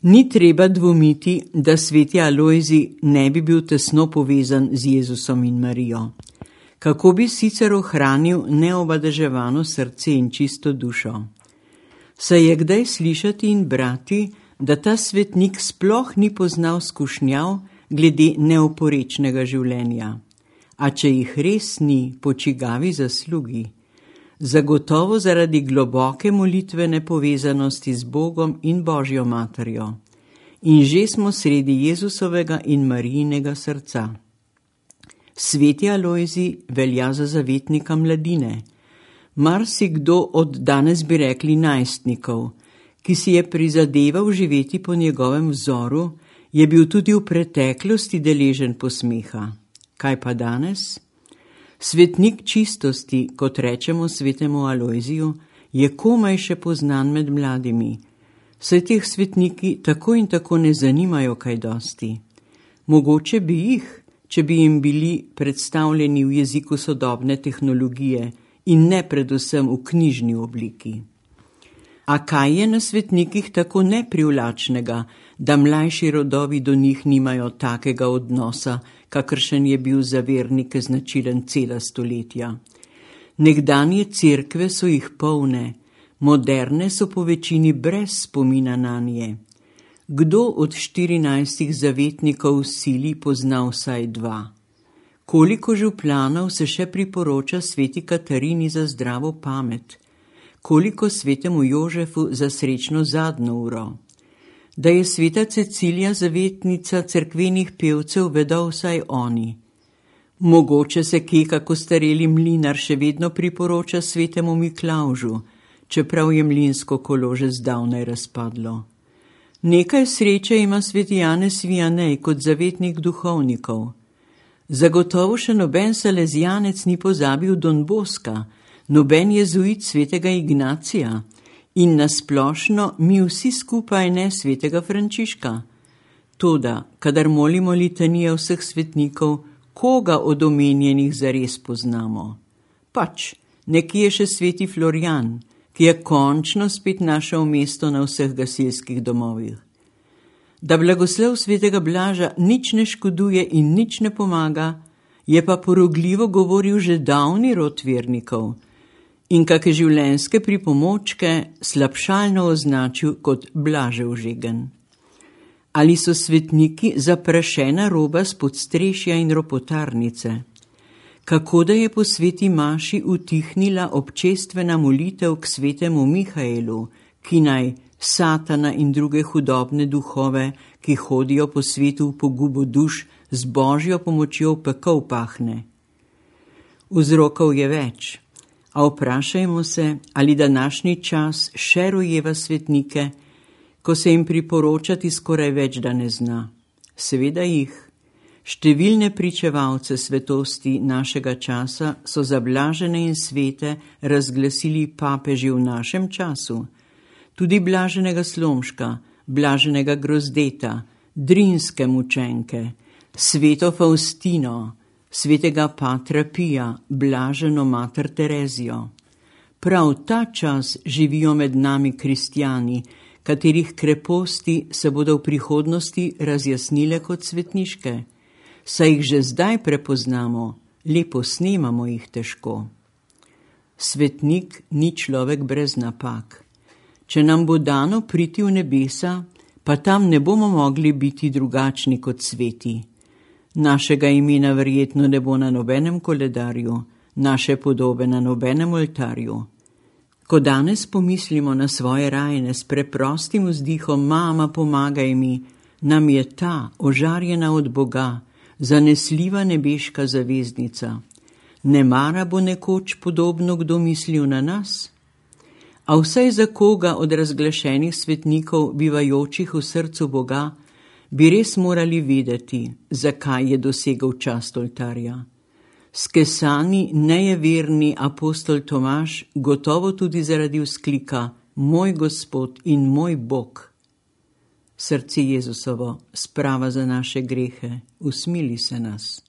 Ni treba dvomiti, da sveti Alojzij ne bi bil tesno povezan z Jezusom in Marijo. Kako bi sicer ohranil neobadeževano srce in čisto dušo? Saj je kdaj slišati in brati, da ta svetnik sploh ni poznal skušnjav glede neoporečnega življenja. A če jih res ni, po čigavi zaslugi? Zagotovo zaradi globoke molitvene povezanosti z Bogom in Božjo materjo. In že smo sredi Jezusovega in Marijinega srca. Sveti Alojzij velja za zavetnika mladine. Marsikdo od danes bi rekli najstnikov, ki si je prizadeval živeti po njegovem vzoru, je bil tudi v preteklosti deležen posmeha. Kaj pa danes? Svetnik čistosti, kot rečemo svetemu Alojziju, je komaj še poznan med mladimi. Saj teh svetniki tako in tako ne zanimajo kaj dosti. Mogoče bi jih, če bi jim bili predstavljeni v jeziku sodobne tehnologije in ne predvsem v knjižni obliki. A kaj je na svetnikih tako neprivlačnega, da mlajši rodovi do njih nimajo takega odnosa, kakršen je bil za vernike značilen cela stoletja? Nekdanje cerkve so jih polne, moderne so po večini brez spomina nanje. Kdo od 14 zavetnikov sili pozna vsaj 2? Koliko župlanov se še priporoča sveti Katarini za zdravo pamet? Koliko svetemu Jožefu za srečno zadnjo uro? Da je sveta Cecilija zavetnica cerkvenih pevcev, vedo vsaj oni. Mogoče se kje kako stareli mlinar še vedno priporoča svetemu Miklavžu, čeprav je mlinsko kolo že zdavnaj razpadlo. Nekaj sreče ima sveti Janez Vianej kot zavetnik duhovnikov. Zagotovo še noben salezijanec ni pozabil Don Boska, noben jezuit svetega Ignacija in nasplošno mi vsi skupaj ne svetega Frančiška. Toda, kadar molimo litanije vseh svetnikov, koga od omenjenih zares poznamo? Pač, nekje je še sveti Florjan, ki je končno spet našel mesto na vseh gasilskih domovih. Da blagoslov svetega Blaža nič ne škoduje in nič ne pomaga, je pa porogljivo govoril že davni rod vernikov in kake življenjske pripomočke slabšalno označil kot Blažev žegen. Ali so svetniki zaprašena roba s podstrešja in ropotarnice? Kako da je po sveti maši utihnila občestvena molitev k svetemu Mihaelu, ki naj Satana in druge hudobne duhove, ki hodijo po svetu v pogubo duš, z Božjo pomočjo v pekel pahne? Vzrokov je več, a vprašajmo se, ali današnji čas še rojeva svetnike, ko se jim priporočati skoraj več da ne zna. Seveda jih. Številne pričevalce svetosti našega časa so za blažene in svete razglasili papeži v našem času. Tudi blaženega Slomška, blaženega Grozdeta, Drinske mučenke, sveto Faustino, svetega Patra Pija, blaženo mater Terezijo. Prav ta čas živijo med nami kristjani, katerih kreposti se bodo v prihodnosti razjasnile kot svetniške. Saj jih že zdaj prepoznamo, lepo snemamo jih težko. Svetnik ni človek brez napak. Če nam bo dano priti v nebesa, pa tam ne bomo mogli biti drugačni kot sveti. Našega imena verjetno ne bo na nobenem koledarju, naše podobe na nobenem oltarju. Ko danes pomislimo na svoje rajne s preprostim vzdihom Mama, pomagaj mi, nam je ta, ožarjena od Boga, zanesljiva nebeška zaveznica. Nemara bo nekoč podobno kdo mislil na nas? A vsaj za koga od razglašenih svetnikov, bivajočih v srcu Boga, bi res morali vedeti, zakaj je dosegel čast oltarja. Skesani, nejeverni apostol Tomaž gotovo tudi zaradi vzklika Moj Gospod in moj Bog. Srce Jezusovo, sprava za naše grehe, usmili se nas.